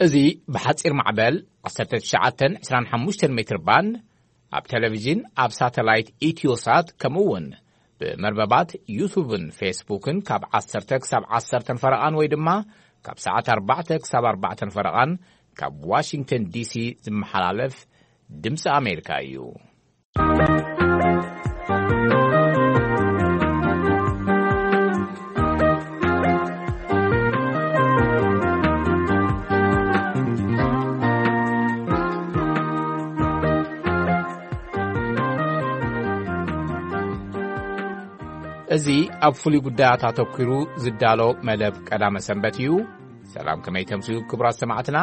እዚ ብሓጺር ማዕበል ዓሰርተ ትሽዓተ ዕስራን ሓሙሽተን ሜትር ባንድ፣ ኣብ ቴሌቪዥን፣ ኣብ ሳተላይት ኢትዮሳት፣ ከምኡ እውን ብመርበባት ዩቱብን ፌስቡክን ካብ ዓሰርተ ክሳብ ዓሰርተ ፈረቓን ወይ ድማ ካብ ሰዓት ኣርባዕተ ክሳብ ኣርባዕተ ፈረቓን ካብ ዋሽንግተን ዲሲ ዝመሓላለፍ ድምፂ ኣሜሪካ እዩ። እዚ ኣብ ፍሉይ ጉዳያት ኣተኲሩ ዝዳሎ መደብ ቀዳመ ሰንበት እዩ። ሰላም፣ ከመይ ተምስዩ ክቡራት ሰማዕትና?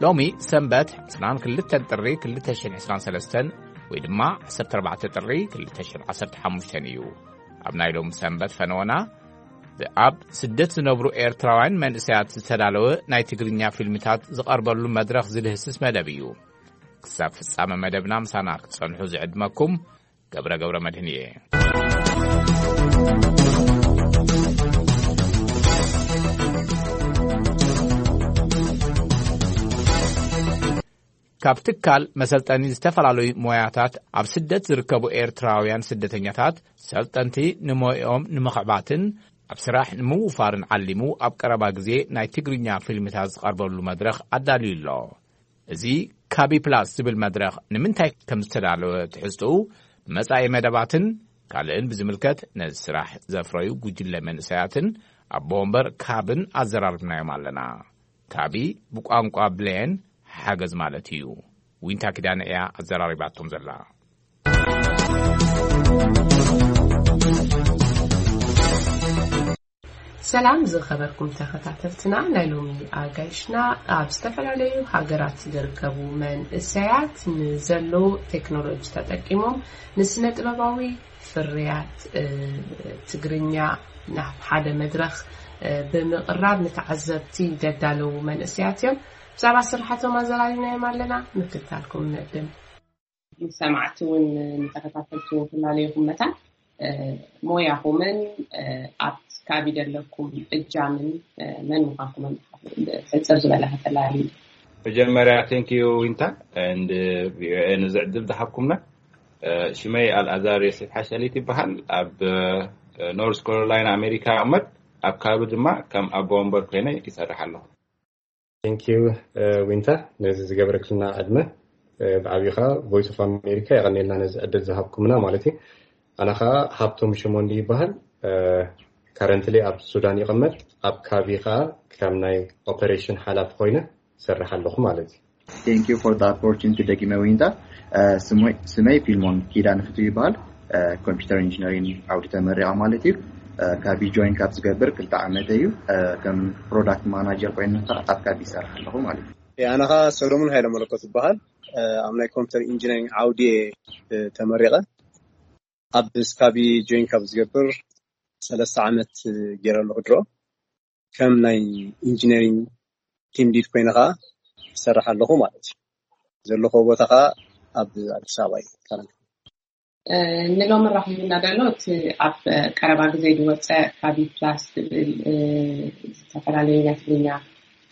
ሎሚ ሰንበት ዕስራን ክልተን ጥሪ ክልተ ሽሕን ዕስራን ሰለስተን ወይ ድማ ዓሰርተ ኣርባዕተ ጥሪ ክልተ ሽሕን ዓሰርተ ሓሙሽተን እዩ። ኣብ ናይ ሎሚ ሰንበት ፈነወና፣ ኣብ ስደት ዝነብሩ ኤርትራውያን መንእሰያት ዝተዳለወ ናይ ትግርኛ ፊልምታት ዝቐርበሉ መድረኽ ዝድህስስ መደብ እዩ። ክሳብ ፍጻመ መደብና ምሳና ክትጸንሑ ዝዕድመኩም ገብረ ገብረ መድህን እየ። ካብ ትካል መሰልጠኒ ዝተፈላለዩ ሞያታት ኣብ ስደት ዝርከቡ ኤርትራውያን ስደተኛታት ሰልጠንቲ ንሞያኦም ንምኽዕባትን ኣብ ስራሕ ንምውፋርን ዓሊሙ ኣብ ቀረባ ግዜ ናይ ትግርኛ ፊልምታት ዝቐርበሉ መድረኽ ኣዳልዩ ኣሎ። እዚ ካቢ ፕላስ ዝብል መድረኽ ንምንታይ ከም ዝተዳለወ ትሕዝትኡ፣ መጻኢ መደባትን ካልእን ብዝምልከት ነዚ ስራሕ ዘፍረዩ ጉጅለ መንእሰያትን ኣቦ ወንበር ካብን ኣዘራርብናዮም ኣለና። ካቢ ብቋንቋ ብሌን ሓገዝ ማለት እዩ። ዊንታ ኪዳነ እያ ኣዘራሪባቶም ዘላ። ሰላም ዝኸበርኩም ተኸታተልትና፣ ናይ ሎሚ ኣጋይሽና ኣብ ዝተፈላለዩ ሃገራት ዝርከቡ መንእሰያት ንዘሎ ቴክኖሎጂ ተጠቂሞም ንስነ ጥበባዊ ፍርያት፣ እ፣ ትግርኛ ናብ ሓደ መድረኽ፣ እ፣ ብምቕራብ ንተዓዘብቲ ዘዳለዉ መንእሰያት እዮም። ብዛዕባ ስራሓቶም ኣዘራሪብናዮም ኣለና፣ ምክትታልኩም ንዕድም። ንሰማዕቲ እውን ንተኸታተልቲ እውን ክላለየኹም መታን፣ እ፣ ሞያኹምን፣ እ፣ ኣብ ካቢ ዘለኩም እጃምን፣ እ፣ መን ምዃንኩምን ሕጽር ዝበለ ከተላልዩ። መጀመርያ፣ thank you ዊንታ and ቪኦኤ ነዚ ዕድል ዝሃብኩምና። እ፣ ሽመይ ኣልኣዛር ዮሴፍ ሓሸሊት ይበሃል። ኣብ፣ እ፣ ኖርዝ ካሮላይና ኣሜሪካ እቕመጥ። ኣብ ካቢ ድማ ከም ኣቦ ወንበር ኮይነ ይሰርሕ ኣለኹ። Thank you፣ እ፣ ዊንታ፣ ነዚ ዝገበረክልና ዕድመ፣ እ፣ ብዓብዩ ኸኣ ቮይስ ኦፍ ኣሜሪካ የቐንየልና ነዚ ዕድል ዝሃብኩምና ማለት እዩ። ኣነ ኸኣ ሃብቶም ሸሞንዲ ይበሃል። እ፣ ካረንትሊ ኣብ ሱዳን ይቕመጥ። ኣብ ካቢ ኸኣ ከም ናይ ኦፐሬሽን ሓላፊ ኮይነ እሰርሕ ኣለኹ ማለት እዩ። Thank you for the opportunity ደጊመ ዊንታ። እ፣ ስሞይ-፣ ስመይ ፊልሞን ኪዳነ ፍትው ይበሃል። እ፣ ኮምፒውተር ኢንጂነሪንግ ዓውዲ ተመሪቐ ማለት እዩ። እ፣ ካቢ ጆይን ካብ ዝገብር ክልተ ዓመት እዩ። እ፣ ከም ፕሮዳክት ማናጀር ኮይነ ኸኣ ኣብ ካቢ ይሰርሕ ኣለኹ ማለት እዩ። ኣነ ኸኣ ሰሎሞን ሃይለ መለኮት ይበሃል። እ፣ ኣብ ናይ ኮምፒውተር ኢንጂነሪንግ ዓውዲ እየ፣ እ፣ ተመሪቐ። ኣብ ስካቢ ጆይን ካብ ዝገብር ሰለስተ ዓመት ገይረ ኣለኹ ድሮ። ከም ናይ ኢንጂነሪንግ ቲም ሊድ ኮይነ ኸኣ ይሰርሕ ኣለኹ ማለት እዩ። ዘለኹዎ ቦታ ኸኣ ኣብ ኣዲስ ኣበባ እዩ። እ፣ ንሎሚ ራኺቡና ዘሎ እቲ ኣብ ቀረባ ግዜ ዝወጸ ካቢ ፕላስ ዝብል፣ እ፣ ዝተፈላለዩ ናይ ትግርኛ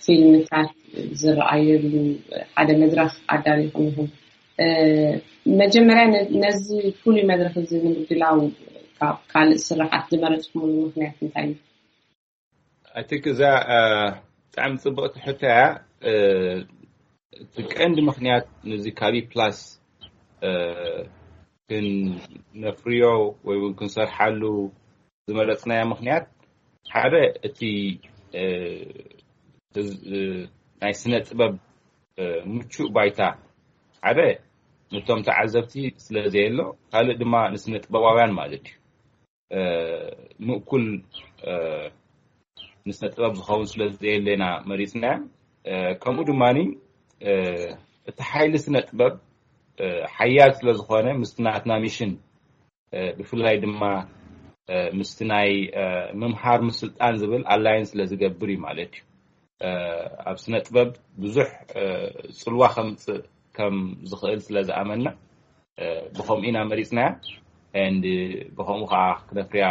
ፊልምታት ዝረኣየሉ ሓደ መድረኽ ኣዳሊኹም ኢኹም። እ፣ መጀመርያ ነ-፣ ነዚ ፍሉይ መድረኽ እዚ ንምድላው ካብ ካልእ ስራሓት ዝመረጽኩምሉ ምኽንያት እንታይ እዩ? I think እዛ፣ እ፣ ብጣዕሚ ጽብቕቲ ሕቶ እያ። እ፣ እቲ ቀንዲ ምኽንያት ነዚ ካቢ ፕላስ፣ እ፣ ክነፍርዮ ወይ እውን ክንሰርሓሉ ዝመረጽናዮ ምኽንያት ሓደ እቲ፣ እ፣ ህዝ-፣ እ፣ ናይ ስነ ጥበብ፣ እ፣ ምቹእ ባይታ ሓደ ነቶም ተዓዘብቲ ስለ ዘየሎ፣ ካልእ ድማ ንስነ ጥበባውያን ማለት እዩ። እ፣ ምእኩል፣ እ፣ ንስነ ጥበብ ዝኸውን ስለ ዘየለና መሪጽና። እ፣ ከምኡ ድማኒ፣ እ፣ እቲ ሓይሊ ስነ ጥበብ፣ እ፣ ሓያል ስለ ዝኾነ ምስቲ ናትና ሚሽን፣ እ፣ ብፍላይ ድማ፣ እ፣ ምስቲ ናይ፣ እ፣ ምምሃር ምስልጣን ዝብል ኣላይን ስለ ዝገብር እዩ ማለት እዩ። እ፣ ኣብ ስነ ጥበብ ብዙሕ፣ እ፣ ጽልዋ ከምጽእ ከም ዝኽእል ስለ ዝኣመንና፣ እ፣ ብኸምኡ ኢና መሪጽናያ። And ብኸምኡ ኸዓ ክነፍርያ፣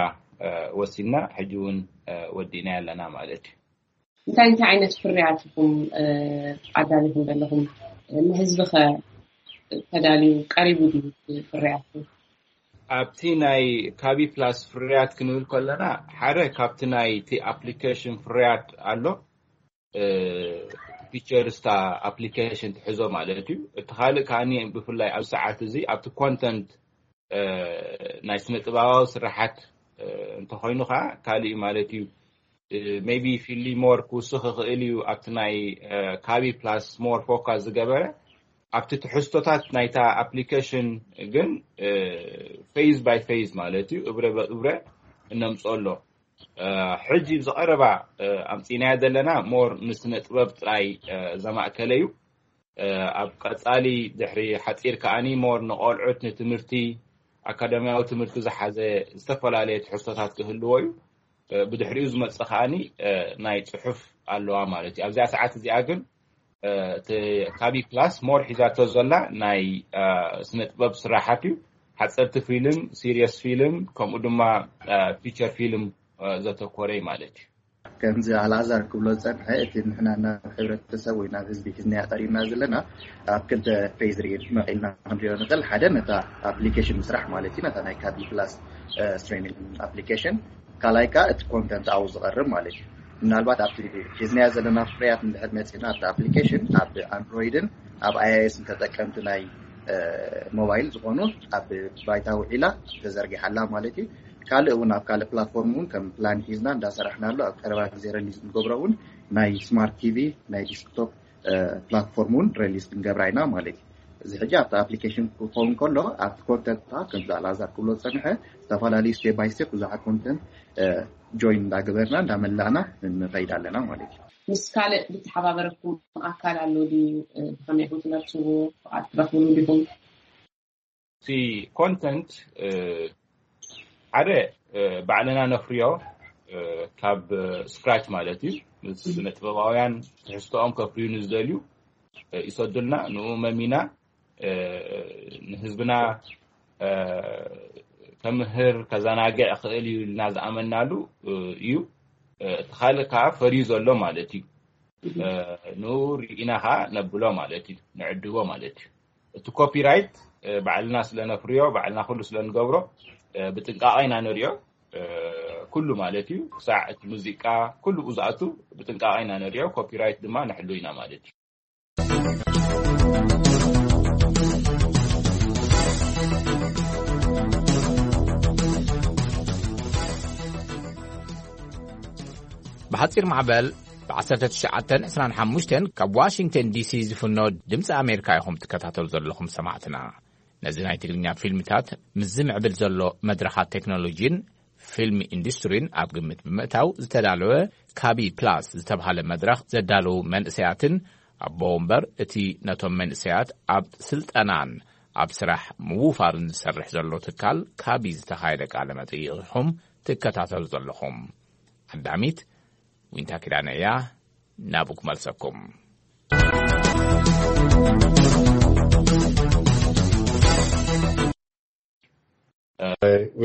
እ፣ ወሲንና። ሕጂ እውን፣ እ፣ ወዲእናያ ኣለና ማለት እዩ። እንታይ እንታይ ዓይነት ፍርያት ኢኹም ኣዳሊኹም ዘለኹም? ንህዝቢ ኸ ተዳልዩ ቀሪቡ ድዩ ፍርያትኩም? ኣብቲ ናይ ካቢ ፕላስ ፍርያት ክንብል ከለና ሓደ ካብቲ ናይቲ ኣፕሊኬሽን ፍርያት ኣሎ። ፊቸርስ እታ ኣፕሊኬሽን ትሕዞ ማለት እዩ። እቲ ካልእ ከኣ ብፍላይ ኣብ ሰዓት እዚ ኣብቲ ኮንተንት ናይ ስነ ጥበባዊ ስራሓት እንተኮይኑ ከዓ ካልእ ማለት እዩ። ሜቢ ፊሊ ሞር ክውስኽ ይኽእል እዩ ኣብቲ ናይ ካቢ ፕላስ ሞር ፎካስ ዝገበረ። ኣብቲ ትሕዝቶታት ናይታ ኣፕሊኬሽን ግን ፌዝ ባይ ፌዝ ማለት እዩ፣ እብረ በእብረ እነምፅኦ ኣሎ። ሕጂ ብዝቐረባ ኣምፂናያ ዘለና ሞር ንስነ ጥበብ ጥራይ ዘማእከለ እዩ። ኣብ ቀፃሊ ድሕሪ ሓፂር ከኣኒ ሞር ንቆልዑት ንትምህርቲ ኣካዳሚያዊ ትምህርቲ ዝሓዘ ዝተፈላለየ ትሕዝቶታት ክህልዎ እዩ። ብድሕሪኡ ዝመፅእ ከኣኒ ናይ ፅሑፍ ኣለዋ ማለት እዩ። ኣብዚኣ ሰዓት እዚኣ ግን እቲ ካቢ ፕላስ ሞር ሒዛቶ ዘላ ናይ ስነ ጥበብ ስራሓት እዩ። ሓፀርቲ ፊልም፣ ሲሪየስ ፊልም፣ ከምኡ ድማ ፊቸር ፊልም ዘተኮረ እዩ ማለት እዩ። ከምዚ ኣልኣዛር ክብሎ ዝፀንሐ፣ እቲ ንሕና ናብ ሕብረተሰብ ወይ ናብ ህዝቢ ሒዝናያ ቀሪብና ዘለና ኣብ ክልተ ፌዝ ርኢ መቂልና ክንሪኦ ንኽእል። ሓደ ነታ ኣፕሊኬሽን ምስራሕ ማለት እዩ፣ ነታ ናይ ካቢ ፕላስ ስትሪሚንግ ኣፕሊኬሽን። ካልኣይ ከዓ እቲ ኮንተንት ኣብኡ ዝቐርብ ማለት እዩ። ምናልባት ኣብቲ ሒዝናዮ ዘለና ፍርያት እንድሕር መፂና ኣብቲ ኣፕሊኬሽን ኣብ ኣንድሮይድን ኣብ ኣይኣይኤስን ተጠቀምቲ ናይ ሞባይል ዝኾኑ ኣብ ባይታ ውዒላ ተዘርጊሓላ ማለት እዩ። ካልእ እውን ኣብ ካልእ ፕላትፎርም እውን ከም ፕላን ሒዝና እንዳሰራሕናሉ ኣብ ቀረባ ግዜ ረሊዝ ንገብሮ እውን ናይ ስማርት ቲቪ ናይ ዲስክቶፕ ፕላትፎርም እውን ረሊዝ ክንገብራ ኢና ማለት እዩ። እዚ ሕጂ ኣብቲ ኣፕሊኬሽን ክኸውን ከሎ ኣብቲ ኮንተንት ከዓ ከምዚ ኣልኣዛር ክብሎ ዝፀንሐ ዝተፈላለዩ ስቴፕ ባይ ስቴፕ ብዙሓት ኮንተንት ጆይን እንዳገበርና እንዳመላእና ንኸይድ ኣለና ማለት እዩ። ምስ ካልእ ዝተሓባበረኩም ኣካል ኣሎ ድዩ? ብኸመይ ኢኹም ትመርፅዎ? ፍቓድ ትረኽብሉ ዲኹም? እቲ ኮንተንት ሓደ ባዕልና ነፍርዮ ካብ ስክራች ማለት እዩ። ምስ ስነ ጥበባውያን ትሕዝቶኦም ከፍርዩ ንዝደልዩ ይሰዱልና፣ ንኡ መሚና ንህዝብና ከምህር ከዘናግዕ ክእል እዩ ኢልና ዝኣመናሉ እዩ። እቲ ካልእ ከዓ ፈርዩ ዘሎ ማለት እዩ። ንኡ ርኢና ከዓ ነብሎ ማለት እዩ፣ ንዕድጎ ማለት እዩ። እቲ ኮፒራይት ባዕልና ስለነፍርዮ ባዕልና ኩሉ ስለንገብሮ ብጥንቃቐ ኢና ንሪኦ። ኩሉ ማለት እዩ፣ ክሳዕ እቲ ሙዚቃ ኩሉ ዝኣቱ ብጥንቃቐ ኢና ንሪኦ። ኮፒራይት ድማ ንሕሉ ኢና ማለት እዩ። ብሓፂር ማዕበል ብ1925 ካብ ዋሽንግተን ዲሲ ዝፍኖ ድምፂ ኣሜሪካ ኢኹም ትከታተሉ ዘለኹም ሰማዕትና። ነዚ ናይ ትግርኛ ፊልምታት ምስ ዝምዕብል ዘሎ መድረኻት ቴክኖሎጂን ፊልም ኢንዱስትሪን ኣብ ግምት ብምእታው ዝተዳለወ ካቢ ፕላስ ዝተብሃለ መድረኽ ዘዳለዉ መንእሰያትን ኣቦ ወንበር እቲ ነቶም መንእሰያት ኣብ ስልጠናን ኣብ ስራሕ ምውፋርን ዝሰርሕ ዘሎ ትካል ካቢ ዝተኻየደ ቃለ መጠይቕ ኢኹም ትከታተሉ ዘለኹም። ኣዳሚት ዊንታ ኪዳነ እያ። ናብኡ ክመልሰኩም።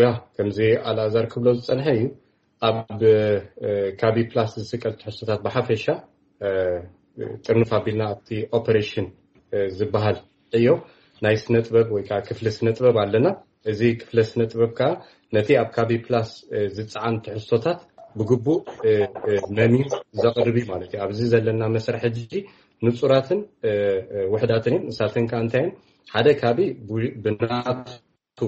ያ ከምዚ ኣልኣዛር ክብሎ ዝፀንሐ እዩ። ኣብ ካቢ ፕላስ ዝስቀል ትሕዝቶታት ብሓፈሻ ጥርንፍ ኣቢልና ኣብቲ ኦፐሬሽን ዝበሃል ዕዮ ናይ ስነ ጥበብ ወይ ከዓ ክፍሊ ስነ ጥበብ ኣለና። እዚ ክፍለ ስነ ጥበብ ከዓ ነቲ ኣብ ካቢ ፕላስ ዝፀዓን ትሕዝቶታት ብግቡእ መሚር ዘቕርብ እዩ ማለት እዩ። ኣብዚ ዘለና መስርሕ ሕጂ ንፁራትን ውሕዳትን እዮም። ንሳተን ከዓ እንታይ እየን? ሓደ ካቢ ብናቱ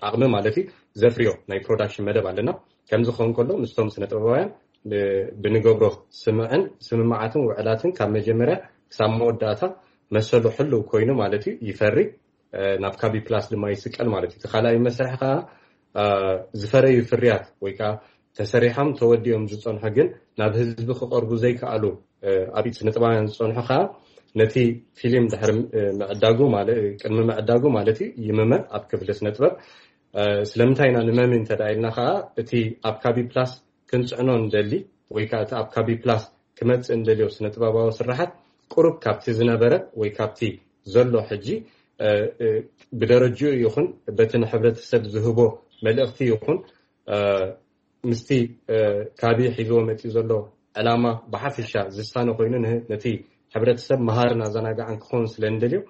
ዓቕሚ ማለት እዩ ዘፍርዮ ናይ ፕሮዳክሽን መደብ ኣለና። ከምዚ ክኸውን ከሎ ምስቶም ስነ ጥበባውያን ብንገብሮ ስምዕን ስምምዓትን ውዕላትን ካብ መጀመርያ ክሳብ መወዳእታ መሰሉ ሕልው ኮይኑ ማለት እዩ ይፈሪ። ናብ ካቢ ፕላስ ድማ ይስቀል ማለት እዩ። እቲ ካልኣይ መስርሕ ከዓ ዝፈረዩ ፍርያት ወይ ከዓ ተሰሪሖም ተወዲኦም ዝፀንሑ ግን ናብ ህዝቢ ክቐርቡ ዘይከኣሉ ኣብ ኢድ ስነጥበባውያን ዝፀንሑ ከዓ ነቲ ፊልም ድሕሪ ምዕዳጉ ቅድሚ ምዕዳጉ ማለት እዩ ይምመ ኣብ ክፍሊ ስነጥበብ። ስለምንታይ ኢና ንመሚ እንተዳ ኢልና ከዓ እቲ ኣብ ካቢ ፕላስ ክንፅዕኖ ንደሊ ወይ ከዓ እቲ ኣብ ካቢ ፕላስ ክመፅእ እንደልዮ ስነጥበባዊ ስራሓት ቁሩብ ካብቲ ዝነበረ ወይ ካብቲ ዘሎ ሕጂ ብደረጅኡ ይኹን በቲ ንሕብረተሰብ ዝህቦ መልእኽቲ ይኹን ምስቲ ካቢ ሒዝዎ መፂኡ ዘሎ ዕላማ ብሓፈሻ ዝሳነ ኮይኑ ነቲ ሕብረተሰብ መሃርን ኣዘናጋዕን ክኸውን ስለ እንደልዮ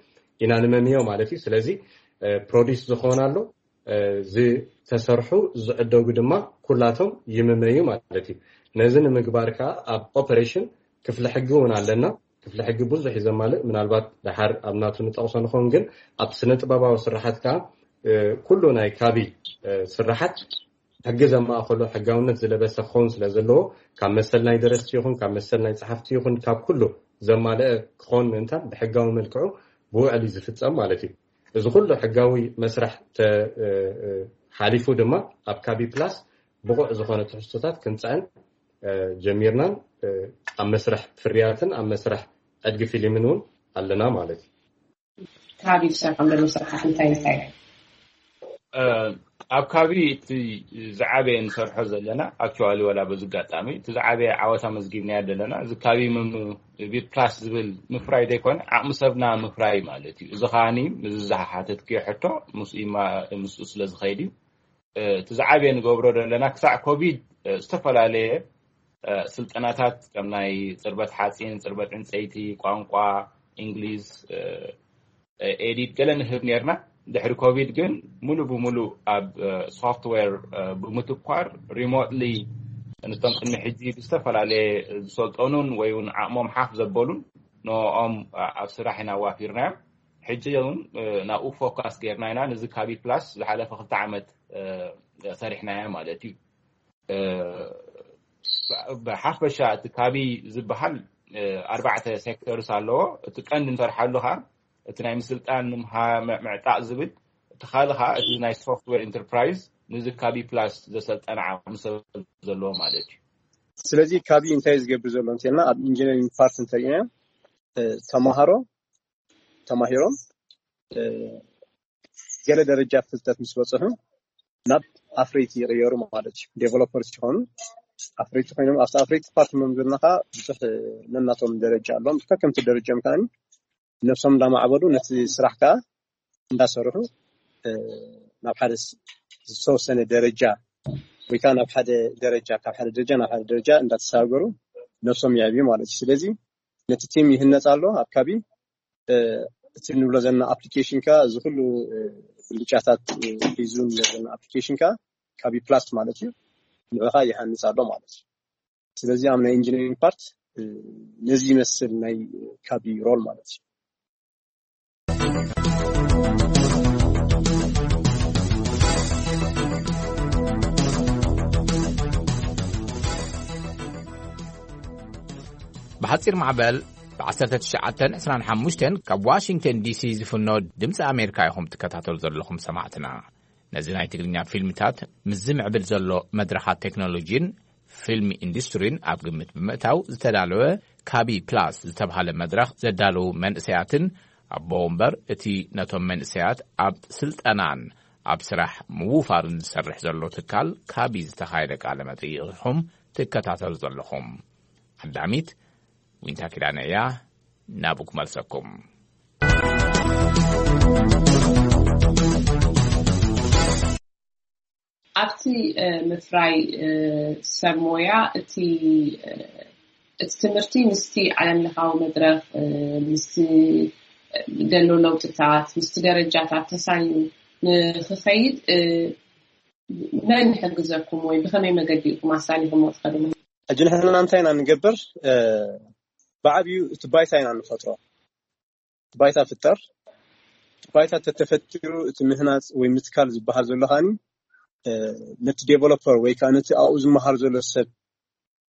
ኢና ንመምዮ ማለት እዩ። ስለዚ ፕሮዲስ ዝኾን ኣሎ፣ ዝተሰርሑ ዝዕደጉ ድማ ኩላቶም ይምመዩ ማለት እዩ። ነዚ ንምግባር ከዓ ኣብ ኦፐሬሽን ክፍሊ ሕጊ እውን ኣለና። ክፍሊ ሕጊ ብዙሕ እዩ ዘማልእ። ምናልባት ድሓር ኣብ ናቱ ንጠቕሶ ንኸውን፣ ግን ኣብ ስነ ጥበባዊ ስራሓት ከዓ ኩሉ ናይ ካቢ ስራሓት ሕጊ ዘማእኸሎ ሕጋውነት ዝለበሰ ክኸውን ስለ ዘለዎ፣ ካብ መሰል ናይ ደረስቲ ይኹን ካብ መሰል ናይ ጸሓፍቲ ይኹን ካብ ኩሉ ዘማልአ ክኸውን ምእንታን ብሕጋዊ መልክዑ ብውዕል እዩ ዝፍጸም ማለት እዩ። እዚ ኩሉ ሕጋዊ መስርሕ ሓሊፉ ድማ ኣብ ካቢ ፕላስ ብቑዕ ዝኾነ ትሕዝቶታት ክንፅዕን ጀሚርናን ኣብ መስርሕ ፍርያትን ኣብ መስርሕ ዕድጊ ፊልምን እውን ኣለና ማለት እዩ። ካቢ ዝሰርሖም ዘሎ ስራሕት እንታይ እንታይ እዮም? ኣብ ካቢ እቲ ዝዓበየ ንሰርሖ ዘለና፣ ኣክቹዋሊ ዋላ በዚ ኣጋጣሚ እቲ ዝዓበየ ዓወት ኣመዝጊብናዮ ዘለና እዚ ካቢ ፕላስ ዝብል ምፍራይ ዘይኮነ ዓቕሚ ሰብና ምፍራይ ማለት እዩ። እዚ ከዓኒ ምስዚ ዝሓተትክዮ ሕቶ ምስኡ ስለ ዝኸይድ እዩ። እቲ ዝዓበየ ንገብሮ ዘለና ክሳዕ ኮቪድ ዝተፈላለየ ስልጠናታት ከም ናይ ፅርበት ሓፂን፣ ፅርበት ዕንፀይቲ፣ ቋንቋ እንግሊዝ፣ ኤዲት ገለ ንህብ ነርና። ድሕሪ ኮቪድ ግን ሙሉ ብሙሉ ኣብ ሶፍትዌር ብምትኳር ሪሞትሊ ነቶም ቅድሚ ሕጂ ብዝተፈላለየ ዝሰልጠኑን ወይ እውን ዓቕሞም ሓፍ ዘበሉን ንኦም ኣብ ስራሕ ኢና ኣዋፊርናዮም። ሕጂ እውን ናብኡ ፎካስ ጌርና ኢና። ነዚ ካቢ ፕላስ ዝሓለፈ ክልተ ዓመት ሰሪሕናዮ ማለት እዩ። ብሓፈሻ እቲ ካቢ ዝበሃል ኣርባዕተ ሴክተርስ ኣለዎ። እቲ ቀንዲ ንሰርሓሉ ከዓ እቲ ናይ ምስልጣን ምምሃር ምዕጣቕ ዝብል፣ እቲ ካልእ ከዓ እቲ ናይ ሶፍትዌር ኢንተርፕራይዝ ንዚ ካቢ ፕላስ ዘሰልጠነ ዓቕሚ ሰብ ዘለዎ ማለት እዩ። ስለዚ ካቢ እንታይ ዝገብር ዘሎ እንተልና ኣብ ኢንጂነሪንግ ፓርት እንተሪእና ተማሃሮ ተማሂሮም ገለ ደረጃ ፍልጠት ምስ በፅሑ ናብ ኣፍረይቲ ይቕየሩ ማለት እዩ። ዴቨሎፐርስ ይኾኑ። ኣፍረይቲ ኮይኖም ኣብቲ ኣፍረይቲ ፓርት መምዝርና ከዓ ብዙሕ ነናቶም ደረጃ ኣለዎም። ከከምቲ ደረጃም ከዓ ነብሶም እንዳማዕበሉ ነቲ ስራሕ ከዓ እንዳሰርሑ ናብ ሓደ ዝተወሰነ ደረጃ ወይ ከዓ ናብ ሓደ ደረጃ ካብ ሓደ ደረጃ ናብ ሓደ ደረጃ እንዳተሳገሩ ነብሶም ይዕብዩ ማለት እዩ። ስለዚ ነቲ ቲም ይህነፅ ኣሎ ኣብ ካቢ እቲ ንብሎ ዘለና ኣፕሊኬሽን ካ እዚ ኩሉ ብልጫታት ሒዙ ንብሎ ዘለና ኣፕሊኬሽን ካ ካቢ ፕላስ ማለት እዩ። ንዑኻ ይሃንፅ ኣሎ ማለት እዩ። ስለዚ ኣብ ናይ ኢንጂነሪንግ ፓርት ነዚ ይመስል ናይ ካቢ ሮል ማለት እዩ። ብሓፂር ማዕበል ብ1925 ካብ ዋሽንግተን ዲሲ ዝፍኖ ድምፂ ኣሜሪካ ኢኹም ትከታተሉ ዘለኹም ሰማዕትና። ነዚ ናይ ትግርኛ ፊልምታት ምስ ዝምዕብል ዘሎ መድረኻት ቴክኖሎጂን ፊልም ኢንዱስትሪን ኣብ ግምት ብምእታው ዝተዳለወ ካቢ ፕላስ ዝተብሃለ መድረኽ ዘዳለዉ መንእሰያትን ኣቦ ወንበር እቲ ነቶም መንእሰያት ኣብ ስልጠናን ኣብ ስራሕ ምውፋርን ዝሰርሕ ዘሎ ትካል ካቢ ዝተኻየደ ቃለ መጠይቕ ኢኹም ትከታተሉ ዘለኹም። ዓዳሚት ዊንታ ኪዳነ እያ። ናብኡ ክመልሰኩም። ኣብቲ ምፍራይ ሰብ ሞያ እቲ እቲ ትምህርቲ ምስቲ ዓለም ለኻዊ መድረኽ ምስቲ ዘሎ ለውጥታት ምስቲ ደረጃታት ተሳኒ ንክኸይድ መን ይሕግዘኩም ወይ ብኸመይ መገዲ ኢኹም ኣሳኒኹሞ ትኸዱ? ሕጂ ንሕና እንታይ ኢና ንገብር? ብዓብዩ እቲ ባይታ ኢና ንፈጥሮ። ባይታ ፍጠር። ባይታ ተተፈጢሩ እቲ ምህናፅ ወይ ምትካል ዝበሃል ዘሎ ከዓኒ ነቲ ዴቨሎፐር ወይ ከዓ ነቲ ኣብኡ ዝመሃር ዘሎ ሰብ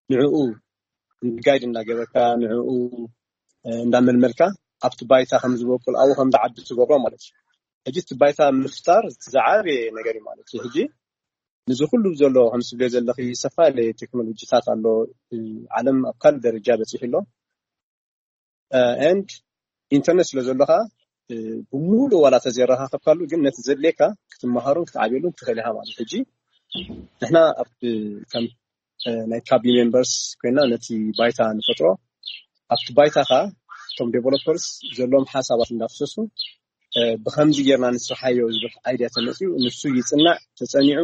ንዕኡ ጋይድ እንዳገበርካ ንዕኡ እንዳመልመልካ ኣብቲ ባይታ ከም ዝበቁል ኣብኡ ከም ዝዓቢ ትገብሮ ማለት እዩ። ሕጂ እቲ ባይታ ምፍጣር ዝዓበየ ነገር እዩ ማለት እዩ። ሕጂ ንዚ ኩሉ ዘሎ ከም ዝብለ ዘለኺ ዝተፈላለየ ቴክኖሎጂታት ኣሎ። ዓለም ኣብ ካልእ ደረጃ በፂሑ ኣሎ። ኤንድ ኢንተርኔት ስለ ዘሎ ከዓ ብሙሉእ ዋላ ተዘይረኻኸብካሉ ግን ነቲ ዘድልየካ ክትመሃሩን ክትዓብየሉን ትኽእል ኢኻ ማለት። ሕጂ ንሕና ኣብ ከም ናይ ካቢ ሜምበርስ ኮይና ነቲ ባይታ ንፈጥሮ። ኣብቲ ባይታ ከዓ እቶም ዴቨሎፐርስ ዘለዎም ሓሳባት እንዳፍሰሱ ብከምዚ ጌርና ንስርሓዮ ዝብል ኣይድያ ተመፅኡ። ንሱ ይፅናዕ፣ ተፀኒዑ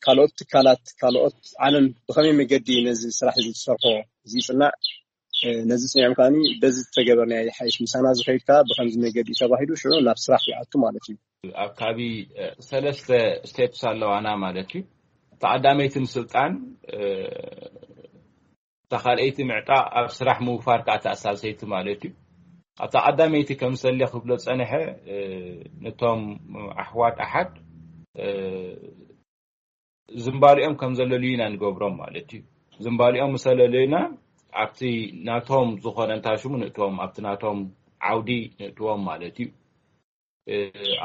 ካልኦት ትካላት፣ ካልኦት ዓለም ብኸመይ መገዲ ነዚ ስራሕ እዚ ዝሰርሖ እዚ ይፅናዕ፣ ነዚ ፅኒዖም ከዓኒ በዚ ዝተገበርናዮ ይሓይሽ፣ ምሳና ዝኸይድ ከዓ ብኸምዚ መገዲ እዩ ተባሂሉ ሽዑ ናብ ስራሕ ይኣቱ ማለት እዩ። ኣብ ካቢ ሰለስተ ስቴፕስ ኣለዋና ማለት እዩ። ተቐዳመይቲ ምስልጣን፣ እታ ካልኣይቲ ምዕጣ፣ ኣብ ስራሕ ምውፋር ከዓ ተኣሳሰይቲ ማለት እዩ። ኣብታ ቀዳመይቲ ከም ሰለ ክብሎ ፀንሐ፣ ነቶም ኣሕዋት ኣሓድ ዝምባሊኦም ከም ዘለልዩ ኢና ንገብሮም ማለት እዩ። ዝምባሊኦም ምሰለለዩና ኣብቲ ናቶም ዝኾነ እንታይ ሽሙ ንእትዎም፣ ኣብቲ ናቶም ዓውዲ ንእትዎም ማለት እዩ።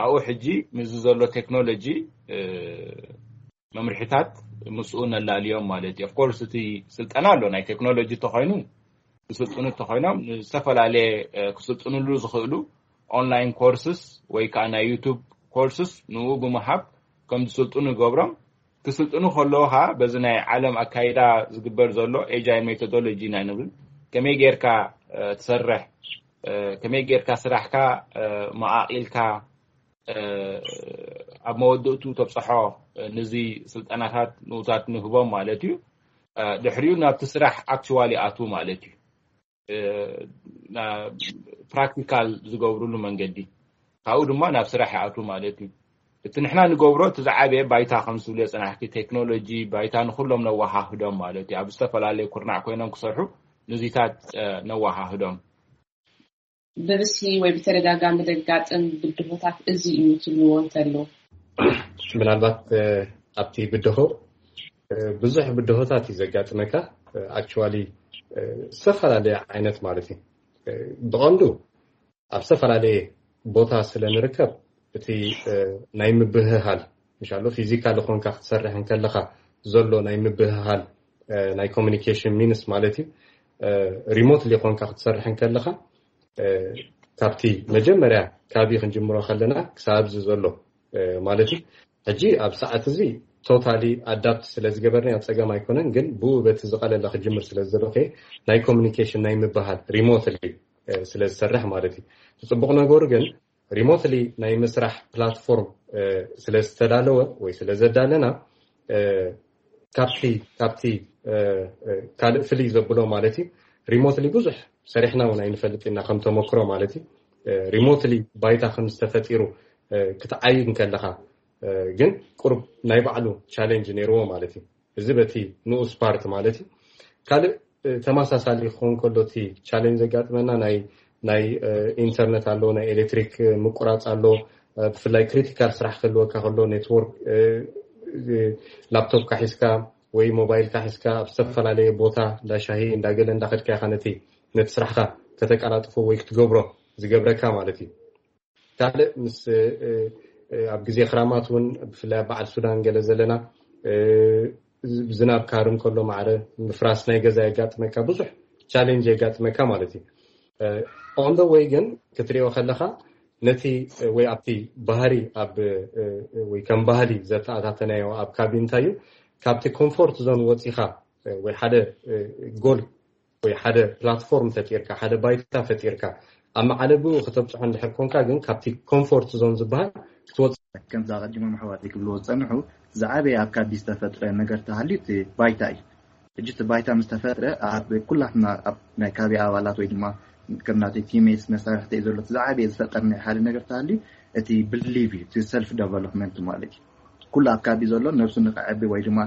ኣብኡ ሕጂ ምስዚ ዘሎ ቴክኖሎጂ መምርሒታት ምስኡ ነላልዮም ማለት እዩ። ኦፍኮርስ እቲ ስልጠና ኣሎ፣ ናይ ቴክኖሎጂ ተኾይኑ ክስልጥኑ ተኾይኖም ዝተፈላለየ ክስልጥንሉ ዝኽእሉ ኦንላይን ኮርስስ ወይ ከዓ ናይ ዩቱብ ኮርስስ ንኡ ብምሃብ ከም ዝስልጥኑ ይገብሮም። ክስልጥኑ ከለዉ ከዓ በዚ ናይ ዓለም ኣካይዳ ዝግበር ዘሎ ኤጃይል ሜቶዶሎጂ ኢና ንብል። ከመይ ጌርካ ትሰርሕ፣ ከመይ ጌርካ ስራሕካ መቓቒልካ ኣብ መወድእቱ ተብፅሖ፣ ንዚ ስልጠናታት ንኡታት ንህቦም ማለት እዩ። ድሕሪኡ ናብቲ ስራሕ ኣክቹዋሊ ኣቱ ማለት እዩ። ፕራክቲካል ዝገብሩሉ መንገዲ፣ ካብኡ ድማ ናብ ስራሕ ይኣቱ ማለት እዩ። እቲ ንሕና ንገብሮ እቲ ዝዓበየ ባይታ ከም ዝብሎ ፅናሕቲ ቴክኖሎጂ ባይታ ንኩሎም ነወሃህዶም ማለት እዩ። ኣብ ዝተፈላለዩ ኩርናዕ ኮይኖም ክሰርሑ ንዚታት ነወሃህዶም። ብብዝሒ ወይ ብተደጋጋሚ ዘጋጥም ብድሆታት እዚ እዩ ትብልዎ እንተሎ? ምናልባት ኣብቲ ብድሆ ብዙሕ ብድሆታት እዩ ዘጋጥመካ። ኣክቹዋሊ ዝተፈላለየ ዓይነት ማለት እዩ። ብቐንዱ ኣብ ዝተፈላለየ ቦታ ስለ ንርከብ እቲ ናይ ምብህሃል እንሻሎ ፊዚካል ኾንካ ክትሰርሕ እንከለኻ ዘሎ ናይ ምብህሃል ናይ ኮሚኒኬሽን ሚንስ ማለት እዩ። ሪሞትሊ ኾንካ ክትሰርሕ እንከለኻ ካብቲ መጀመርያ ካቢ ክንጅምሮ ከለና ክሳብ ኣብዚ ዘሎ ማለት እዩ። ሕጂ ኣብ ሰዓት እዚ ቶታሊ ኣዳፕት ስለ ዝገበርና ኣብ ፀገም ኣይኮነን፣ ግን ብኡ በቲ ዝቐለለ ክጅምር ስለ ዝደለኹ ናይ ኮሚኒኬሽን ናይ ምበሃል ሪሞትሊ ስለ ዝሰርሕ ማለት እዩ። እቲ ፅቡቕ ነገሩ ግን ሪሞትሊ ናይ ምስራሕ ፕላትፎርም ስለ ዝተዳለወ ወይ ስለ ዘዳለና ካብቲ ካብቲ ካልእ ፍልይ ዘብሎ ማለት እዩ። ሪሞትሊ ብዙሕ ሰሪሕና እውን ኣይንፈልጥ ኢና ከም ተመክሮ ማለት እዩ። ሪሞትሊ ባይታ ከም ዝተፈጢሩ ክትዓይድ እንከለኻ ግን ቁሩብ ናይ ባዕሉ ቻሌንጅ ነይርዎ ማለት እዩ። እዚ በቲ ንኡስ ፓርት ማለት እዩ። ካልእ ተመሳሳሊ ክኸውን ከሎ እቲ ቻሌንጅ ዘጋጥመና ናይ ናይ ኢንተርነት ኣሎ፣ ናይ ኤሌክትሪክ ምቁራፅ ኣሎ። ብፍላይ ክሪቲካል ስራሕ ክህልወካ ከሎ ኔትወርክ ላፕቶፕካ ሒዝካ ወይ ሞባይልካ ሒዝካ ኣብ ዝተፈላለየ ቦታ እንዳ ሻሂ እንዳገለ እንዳኸድካ ኢኻ ነቲ ነቲ ስራሕካ ከተቀላጥፎ ወይ ክትገብሮ ዝገብረካ ማለት እዩ። ካልእ ምስ ኣብ ግዜ ክራማት እውን ብፍላይ ኣብ በዓል ሱዳን ገለ ዘለና ዝናብ ካርም ከሎ ማዕረ ምፍራስ ናይ ገዛ የጋጥመካ፣ ብዙሕ ቻሌንጅ የጋጥመካ ማለት እዩ። ኦን ደ ወይ ግን ክትሪኦ ከለካ ነቲ ወይ ኣብቲ ባህሪ ኣብ ወይ ከም ባህሊ ዘተኣታተናዮ ኣብ ካቢ እንታይ እዩ፣ ካብቲ ኮምፎርት ዞን ወፂኻ ወይ ሓደ ጎል ወይ ሓደ ፕላትፎርም ፈጢርካ ሓደ ባይታ ፈጢርካ ኣብ መዓለብኡ ከተብፅሖ እንድሕር ኮንካ ግን ካብቲ ኮምፎርት ዞን ዝበሃል ክትወፅእ ከምዚ ኣቐዲሞም ኣሕዋተይ ክብልዎ ዝፀንሑ ዝዓበየ ኣብ ካቢ ዝተፈጥረ ነገር ተሃልዩ እቲ ባይታ እዩ። ሕጂ እቲ ባይታ ምስ ተፈጥረ ኣብ ኩላትና ኣብ ናይ ካቢ ኣባላት ወይ ድማ ከም ናተይ ቲሜትስ መሳርሕተይ ዘሎ እቲ ዝዓበየ ዝፈጠርናዮ ሓደ ነገር ተሃልዩ እቲ ብሊቭ እዩ፣ እቲ ሰልፍ ደቨሎፕመንት ማለት እዩ። ኩሉ ኣካቢ ዘሎ ነብሱ ንክዕቢ ወይ ድማ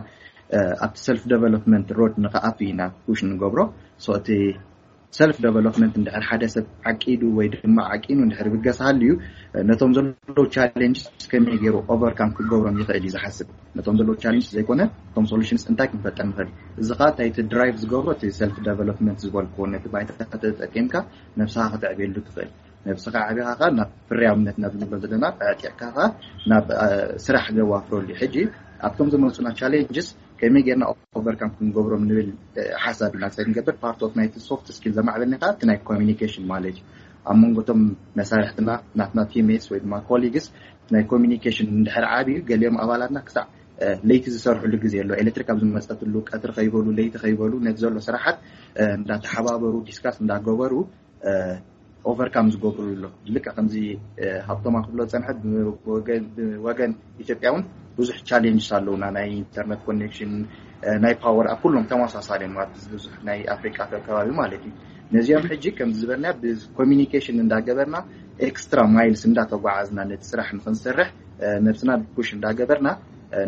ኣብቲ ሰልፍ ደቨሎፕመንት ሮድ ንክኣቱ ኢና ፑሽ ንገብሮ። እቲ ሰልፍ ደቨሎፕመንት እንድሕር ሓደ ሰብ ዓቂዱ ወይ ድማ ዓቂኑ እንድሕር ብገስ ሃልዩ ነቶም ዘለዉ ቻሌንጅስ ከመይ ገይሩ ኦቨርካም ክገብሮም ይኽእል እዩ ዝሓስብ። ነቶም ዘለዉ ቻሌንጅስ ዘይኮነ እቶም ሶሉሽንስ እንታይ ክንፈጠር ንኽእል። እዚ ከዓ እንታይ እቲ ድራይቭ ዝገብሮ እቲ ሰልፍ ደቨሎፕመንት ዝበልክዎ ነቲ ባይታ ተጠቂምካ ነብስኻ ከተዕብየሉ ትኽእል። ነብስኻ ዓቢኻ ከዓ ናብ ፍርያውነት ናብ ንብሎ ዘለና ኣዕጢቕካ ከዓ ናብ ስራሕ ዘዋፍረሉ እዩ። ሕጂ ኣብቶም ዝመፁና ቻሌንጅስ ከመይ ጌርና ኦቨርካም ክንገብሮም ንብል ሓሳብ ኢና ንሰድ ንገብር። ፓርት ኦፍ ናይቲ ሶፍት ስኪል ዘማዕበልና ከዓ እቲ ናይ ኮሚኒኬሽን ማለት እዩ። ኣብ መንጎ እቶም መሳርሕትና ናትና ቲሜትስ ወይ ድማ ኮሊግስ ናይ ኮሚኒኬሽን እንድሕር ዓብዩ ገሊኦም ኣባላትና ክሳዕ ለይቲ ዝሰርሕሉ ግዜ ኣሎ። ኤሌክትሪክ ኣብ ዝመፀትሉ ቀትሪ ከይበሉ ለይቲ ከይበሉ ነቲ ዘሎ ስራሓት እንዳተሓባበሩ ዲስካስ እንዳገበሩ ኦቨርካም ዝገብሩ ኣሎ። ልክዕ ከምዚ ሃብቶማ ክብሎ ዝፀንሐ ብወገን ኢትዮጵያ እውን ብዙሕ ቻሌንጅስ ኣለውና። ናይ ኢንተርነት ኮኔክሽን፣ ናይ ፓወር ኣብ ኩሎም ተመሳሳሊ እዮም፣ ኣብዚ ብዙሕ ናይ ኣፍሪቃ ከባቢ ማለት እዩ። ነዚኦም ሕጂ ከም ዝበልና ብኮሚኒኬሽን እንዳገበርና፣ ኤክስትራ ማይልስ እንዳተጓዓዝና ነቲ ስራሕ ንክንሰርሕ ነብስና ፑሽ እንዳገበርና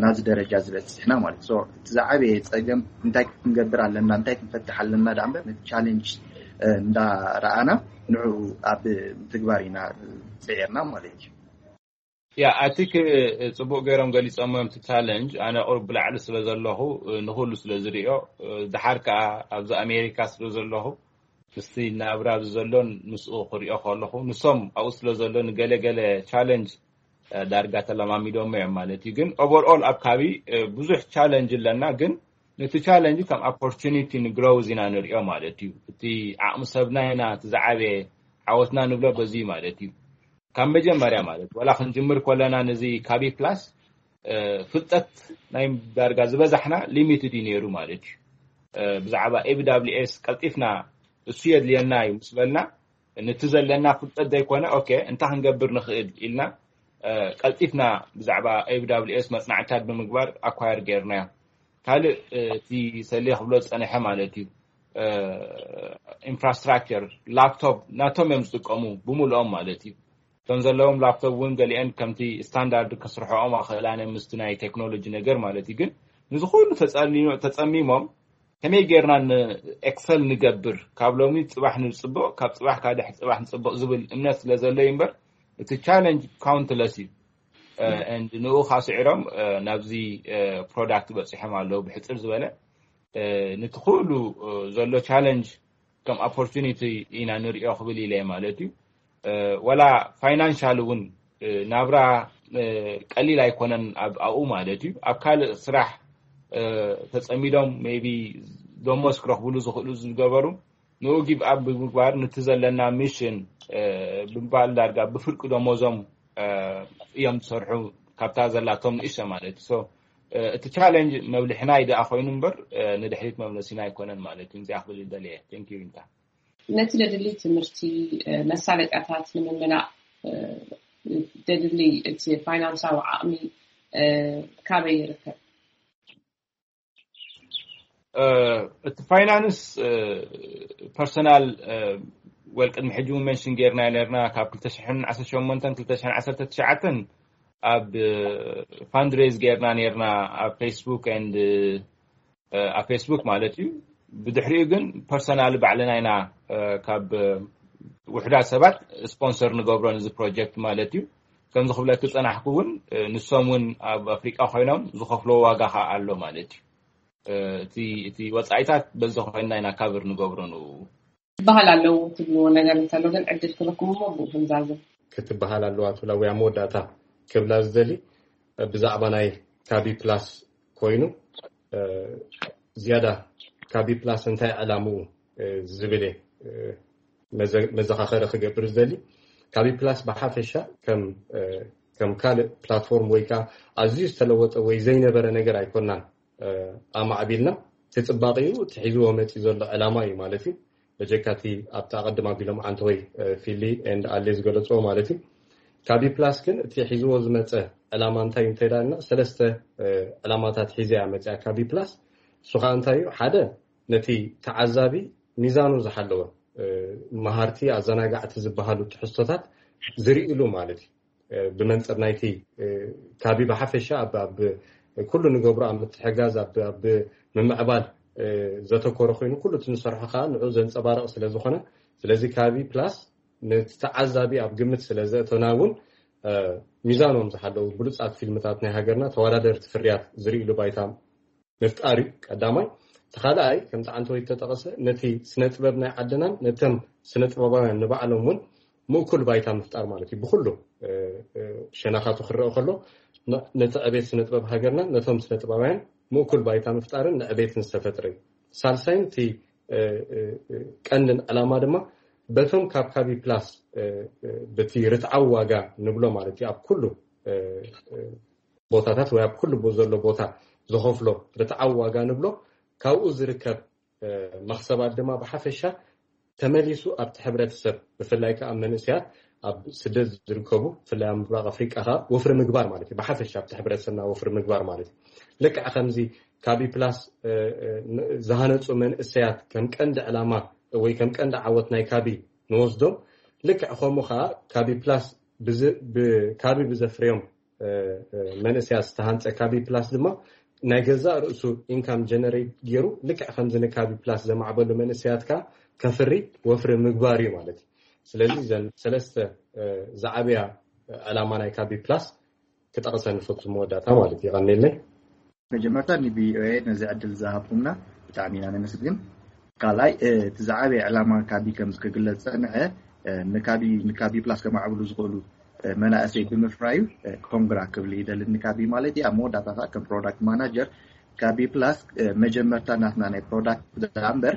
ናዚ ደረጃ ዝበፅሕና ማለት። እቲ ዝዓበየ ፀገም እንታይ ክንገብር ኣለና፣ እንታይ ክንፈትሕ ኣለና ዳኣ እምበር፣ ነቲ ቻሌንጅ እንዳረኣና ንዕኡ ኣብ ትግባር ኢና ፅዒርና ማለት እዩ። ያ ኣቲክ ጽቡቅ ገይሮም ገሊጾም እዮም። እቲ ቻለንጅ ኣነ ቁሩብ ብላዕሊ ስለ ዘለኹ ንኹሉ ስለ ዝሪኦ፣ ድሓር ከኣ ኣብዚ ኣሜሪካ ስለ ዘለኹ ምስቲ ናብራ ኣብዚ ዘሎን ምስኡ ክሪኦ ከለኹ፣ ንሶም ኣብኡ ስለ ዘሎ ንገለ ገለ ቻለንጅ ዳርጋ ተለማሚዶም እዮም ማለት እዩ። ግን ኦቨርኦል ኣብ ካቢ ብዙሕ ቻለንጅ ኣለና፣ ግን ነቲ ቻለንጅ ከም ኦፖርቹኒቲ ንግሮውዝ ኢና ንሪኦ ማለት እዩ። እቲ ዓቕሚ ሰብና ኢና እቲ ዝዓበየ ዓወትና ንብሎ በዚ ማለት እዩ። ካብ መጀመርያ ማለት ዋላ ክንጅምር ከለና ነዚ ካቢ ፕላስ ፍልጠት ናይ ዳርጋ ዝበዛሕና ሊሚትድ እዩ ነይሩ ማለት እዩ። ብዛዕባ ኤብዳብሊኤስ ቀልጢፍና እሱ የድልየና እዩ ምስ በልና፣ ነቲ ዘለና ፍልጠት ዘይኮነ ኦኬ እንታይ ክንገብር ንኽእል ኢልና ቀልጢፍና ብዛዕባ ኤብዳብሊኤስ መፅናዕታት ብምግባር ኣኳየር ገይርናዮ። ካልእ እቲ ሰሌ ክብሎ ዝፀንሐ ማለት እዩ፣ ኢንፍራስትራክቸር ላፕቶፕ ናቶም እዮም ዝጥቀሙ ብምልኦም ማለት እዩ። እቶም ዘለዎም ላፕቶፕ እውን ገሊአን ከምቲ ስታንዳርድ ከስርሖኦም ኣኽእላን ምስቲ ናይ ቴክኖሎጂ ነገር ማለት እዩ። ግን ንዝኹሉ ተፀሚሞም ከመይ ጌርና ንኤክሰል ንገብር፣ ካብ ሎሚ ፅባሕ ንፅብቕ፣ ካብ ፅባሕ ካደሕ ፅባሕ ንፅብቕ ዝብል እምነት ስለ ዘሎ እዩ እምበር እቲ ቻለንጅ ካውንትለስ እዩ። ንኡ ካስዒሮም ናብዚ ፕሮዳክት በፂሖም ኣለዉ። ብሕፅር ዝበለ ነቲ ኩሉ ዘሎ ቻለንጅ ከም ኦፖርቹኒቲ ኢና ንሪኦ ክብል ኢለ ማለት እዩ። ወላ ፋይናንሻል እውን ናብራ ቀሊል ኣይኮነን ኣብኡ ማለት እዩ። ኣብ ካልእ ስራሕ ተፀሚዶም ሜቢ ደሞዝ ክረኽብሉ ዝኽእሉ ዝገበሩ ንኡ ጊቭ ኣፕ ብምግባር ነቲ ዘለና ሚሽን ብምባል ዳርጋ ብፍርቂ ደሞዞም እዮም ዝሰርሑ ካብታ ዘላቶም ንእሽተ ማለት እዩ። እቲ ቻለንጅ መብልሕና እዩ ደኣ ኮይኑ እምበር ንድሕሪት መምለሲና ኣይኮነን ማለት እዩ። እዚኣ ክብል ደልየ። ቴንክ ዩ ዊንታ። ነቲ ደድሊ ትምህርቲ መሳለጥያታት ንምምላእ ደድሊ እቲ ፋይናንሳዊ ዓቕሚ ካበይ ይርከብ? እቲ ፋይናንስ ፐርሰናል ወል ቅድሚ ሕጂ እውን መንሽን ጌርና ነርና ካብ ክልተ ሽሕን ዓሰርተ ሸሞንተን ክልተ ሽሕን ዓሰርተ ትሽዓተን ኣብ ፋንድሬዝ ጌርና ነርና ኣብ ፌስቡክ ኤንድ ኣብ ፌስቡክ ማለት እዩ። ብድሕሪኡ ግን ፐርሰናል ባዕልና ኢና ካብ ውሕዳት ሰባት ስፖንሰር ንገብሮ ነዚ ፕሮጀክት ማለት እዩ። ከምዚ ክብለኪ ዝፀናሕኩ እውን ንሶም እውን ኣብ ኣፍሪቃ ኮይኖም ዝኸፍልዎ ዋጋ ከዓ ኣሎ ማለት እዩ። እቲ ወፃኢታት በዚ ኮይንና ኢና ካቨር ንገብሮ ንኡ። ዝበሃል ኣለዉ ትብልዎ ነገር እንተሎ ግን ዕድል ክበኩም እሞ ብኡ ክንዛዝም። ክትበሃል ኣለዋ ትብላ ወይ ኣብ መወዳእታ ክብላ ዝደሊ ብዛዕባ ናይ ካቢ ፕላስ ኮይኑ ዝያዳ ካቢ ፕላስ እንታይ ዕላምኡ ዝብል እየ መዘኻኸሪ ክገብር ዝደሊ። ካቢ ፕላስ ብሓፈሻ ከም ካልእ ፕላትፎርም ወይ ከዓ ኣዝዩ ዝተለወጠ ወይ ዘይነበረ ነገር ኣይኮናን ኣማዕቢልና። እቲ ፅባቐኡ እቲ ሒዝዎ መፂኡ ዘሎ ዕላማ እዩ ማለት እዩ። በጀካ እቲ ኣብቲ ኣቐድም ኣቢሎም ዓንተወይ ፊሊ ኤንድ ኣሌ ዝገለፅዎ ማለት እዩ። ካቢ ፕላስ ግን እቲ ሒዝዎ ዝመፀ ዕላማ እንታይ እዩ እንተይዳልና ሰለስተ ዕላማታት ሒዘ እያ መፅያ ካቢ ፕላስ። እሱ ከዓ እንታይ እዩ? ሓደ ነቲ ተዓዛቢ ሚዛኑ ዝሓለወ መሃርቲ ኣዘናጋዕቲ ዝበሃሉ ትሕዝቶታት ዝርእሉ ማለት እዩ። ብመንፅር ናይቲ ካቢ ብሓፈሻ ኣብ ኩሉ ንገብሮ ኣብ ምትሕጋዝ ኣብ ምምዕባል ዘተኮረ ኮይኑ ኩሉ እቲ ንሰርሖ ከዓ ንዑ ዘንፀባርቕ ስለዝኾነ ስለዚ ካቢ ፕላስ ነቲ ተዓዛቢ ኣብ ግምት ስለዘእተና እውን ሚዛኖም ዝሓለዉ ብሉፃት ፊልምታት ናይ ሃገርና ተወዳደርቲ ፍርያት ዝርእሉ ባይታ ምፍጣር እዩ ቀዳማይ። እቲ ካልኣይ ከምቲ ዓንተወይ ዝተጠቐሰ ነቲ ስነ ጥበብ ናይ ዓድናን ነቶም ስነ ጥበባውያን ንባዕሎም እውን ምእኩል ባይታ ምፍጣር ማለት እዩ። ብኩሉ ሸነኻቱ ክረአ ከሎ ነቲ ዕቤት ስነ ጥበብ ሃገርናን ነቶም ስነ ጥበባውያን ምእኩል ባይታ ምፍጣርን ንዕቤትን ዝተፈጥረ እዩ። ሳልሳይን እቲ ቀንድን ዕላማ ድማ በቶም ካብ ካቢ ፕላስ በቲ ርትዓዊ ዋጋ ንብሎ ማለት እዩ ኣብ ኩሉ ቦታታት ወይ ኣብ ኩሉ ዘሎ ቦታ ዝኸፍሎ ርትዓዊ ዋጋ ንብሎ ካብኡ ዝርከብ መኽሰባት ድማ ብሓፈሻ ተመሊሱ ኣብቲ ሕብረተሰብ ብፍላይ ከዓ ኣብ መንእሰያት ኣብ ስደት ዝርከቡ፣ ብፍላይ ኣብ ምብራቕ ኣፍሪቃ ከኣ ወፍሪ ምግባር ማለት እዩ። ብሓፈሻ ኣብቲ ሕብረተሰብና ወፍሪ ምግባር ማለት እዩ። ልክዕ ከምዚ ካቢ ፕላስ ዝሃነፁ መንእሰያት ከም ቀንዲ ዕላማ ወይ ከም ቀንዲ ዓወት ናይ ካቢ ንወስዶ፣ ልክዕ ከምኡ ከዓ ካቢ ፕላስ ብዚ- ብ- ካቢ ብዘፍርዮም መንእሰያት ዝተሃንፀ ካቢ ፕላስ ድማ ናይ ገዛእ ርእሱ ኢንካም ጀነሬት ገይሩ፣ ልክዕ ከምዚ ንካቢ ፕላስ ዘማዕበሉ መንእሰያት ከዓ ከፍሪ ወፍሪ ምግባር እዩ ማለት እዩ። ስለዚ እዘን ሰለስተ ዝዓበያ ዕላማ ናይ ካቢ ፕላስ ክጠቕሰን ንፈቱ መወዳእታ ማለት እዩ። ይቐንየለይ። መጀመርታ ን ቪኦኤ ነዚ ዕድል ዝሃብኩምና ብጣዕሚ ኢና ነመስግን። ካልኣይ እቲ ዝዓበየ ዕላማ ካቢ ከም ዝክግለጽ ጸንሐ ንካቢ ንካቢ ፕላስ ከማዕብሉ ዝኽእሉ መናእሰይ ብምፍራዩ ኮንግራ ክብል ይደሊ። ንካቢ ማለት እዩ። ኣብ መወዳእታ ከዓ ከም ፕሮዳክት ማናጀር ካቢ ፕላስ መጀመርታ ናትና ናይ ፕሮዳክት እምበር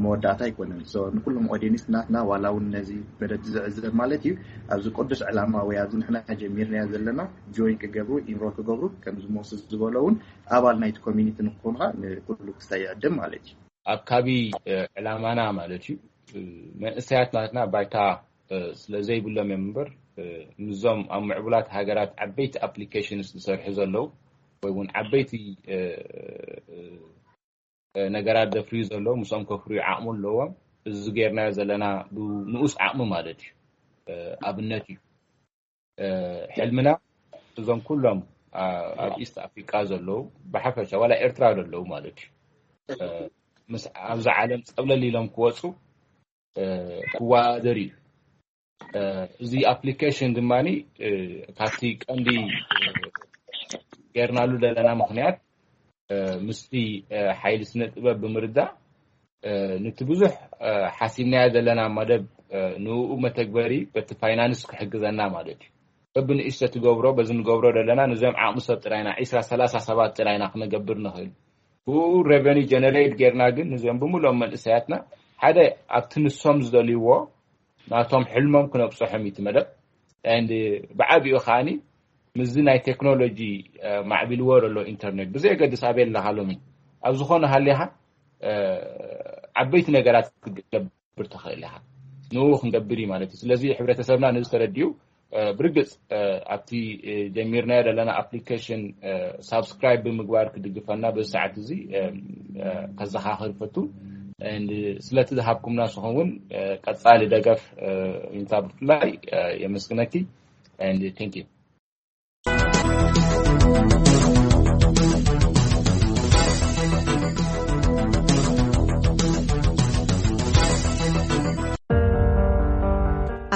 መወዳእታ ኣይኮነን። ንኩሎም ኦዲንስ ናትና ዋላ እውን ነዚ መደብ ዝዕዘብ ማለት እዩ፣ ኣብዚ ቅዱስ ዕላማ ወይ ኣብዚ ንሕና ጀሚርናዮ ዘለና ጆይን ክገብሩ ኢንሮል ክገብሩ ከምዚ ሞስ ዝበሎ እውን ኣባል ናይቲ ኮሚኒቲ ንክኾኑ ከዓ ንኩሉ ክሳይ ይዕድም ማለት እዩ። ኣብ ካቢ ዕላማና ማለት እዩ። መንእሰያት ናትና ባይታ ስለ ዘይብሎም እዮም እምበር፣ ምስዞም ኣብ ምዕቡላት ሃገራት ዓበይቲ ኣፕሊኬሽንስ ዝሰርሑ ዘለዉ ወይ እውን ዓበይቲ ነገራት ዘፍርዩ ዘለዉ ምስኦም ከፍርዩ ዓቕሙ ኣለዎም። እዚ ጌርናዮ ዘለና ብንኡስ ዓቕሚ ማለት እዩ። ኣብነት እዩ። ሕልምና እዞም ኩሎም ኣብ ኢስት ኣፍሪቃ ዘለዉ ብሓፈሻ ዋላ ኤርትራ ዘለዉ ማለት እዩ ምስ ኣብዚ ዓለም ፀብለል ኢሎም ክወፁ ክወዳደር እዩ። እዚ ኣፕሊኬሽን ድማ ካብቲ ቀንዲ ጌርናሉ ዘለና ምክንያት ምስቲ ሓይሊ ስነ ጥበብ ብምርዳእ ንቲ ብዙሕ ሓሲብናዮ ዘለና መደብ ንኡ መተግበሪ በቲ ፋይናንስ ክሕግዘና ማለት እዩ። በብንእሽተ ትገብሮ በዚ ንገብሮ ዘለና ንዚኦም ዓቕሚ ሰብ ጥራይና ዒስራ ሰላሳ ሰባት ጥራይና ክነገብር ንኽእል። ብኡ ሬቨኒ ጀነሬት ጌርና ግን ንዚኦም ብምሎም መንእሰያትና ሓደ ኣብቲ ንሶም ዝደልይዎ ናቶም ሕልሞም ክነብፅሖም እዩ እቲ መደብ። ብዓቢኡ ከዓኒ ምስዚ ናይ ቴክኖሎጂ ማዕቢልዎ ዘሎ ኢንተርኔት ብዘየገድስ ኣበይ ኣለካ ሎሚ ኣብ ዝኾነ ሃሊኻ ዓበይቲ ነገራት ክትገብር ትኽእል ኢኻ። ንኡ ክንገብር እዩ ማለት እዩ። ስለዚ ሕብረተሰብና ነዚ ተረዲኡ ብርግፅ ኣብቲ ጀሚርናዮ ዘለና ኣፕሊኬሽን ሳብስክራይብ ብምግባር ክድግፈና በዚ ሰዓት እዚ ከዘኻኽር ፈቱ። ስለቲ ዝሃብኩምና ንስኹም እውን ቀፃሊ ደገፍ ዊንታ ብፍላይ የመስግነኪ። Thank you።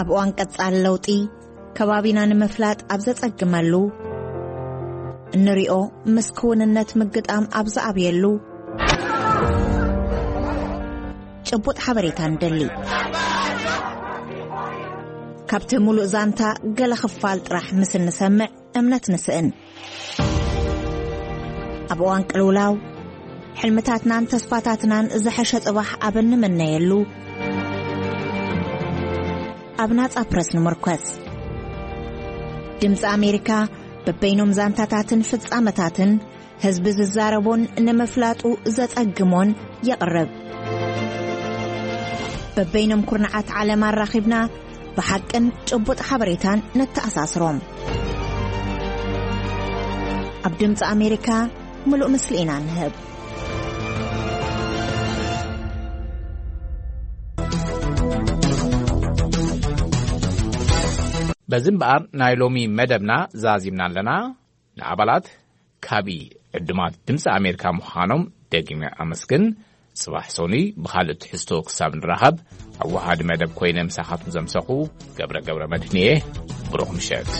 ኣብ እዋን ቀጻሊ ለውጢ ከባቢና ንምፍላጥ ኣብ ዘጸግመሉ፣ እንሪኦ ምስ ክውንነት ምግጣም ኣብ ዝኣብየሉ፣ ጭቡጥ ሓበሬታ ንደሊ። ካብቲ ሙሉእ ዛንታ ገለ ክፋል ጥራሕ ምስ እንሰምዕ እምነት ንስእን። ኣብ እዋን ቅልውላው፣ ሕልምታትናን ተስፋታትናን ዝሐሸ ጽባሕ ኣብ እንምነየሉ፣ ኣብ ናጻ ፕረስ ንምርኮስ። ድምጺ ኣሜሪካ በበይኖም ዛንታታትን ፍጻመታትን ህዝቢ ዝዛረቦን ንምፍላጡ ዘጸግሞን የቕርብ። በበይኖም ኩርናዓት ዓለም ኣራኺብና ብሓቅን ጭቡጥ ሓበሬታን ነተኣሳስሮም። ኣብ ድምፂ ኣሜሪካ ምሉእ ምስሊ ኢና ንህብ። በዚ እምበኣር ናይ ሎሚ መደብና ዛዚምና ኣለና። ንኣባላት ካቢ ዕዱማት ድምፂ ኣሜሪካ ምዃኖም ደጊመ ኣመስግን። ጽባሕ ሰኑይ ብኻልእ ትሕዝቶ ክሳብ ንራኸብ፣ ኣወሃዲ መደብ ኮይነ ምሳኻትኩም ዘምሰኹ ገብረ ገብረ መድህን እየ። ብሩኽ ምሸት።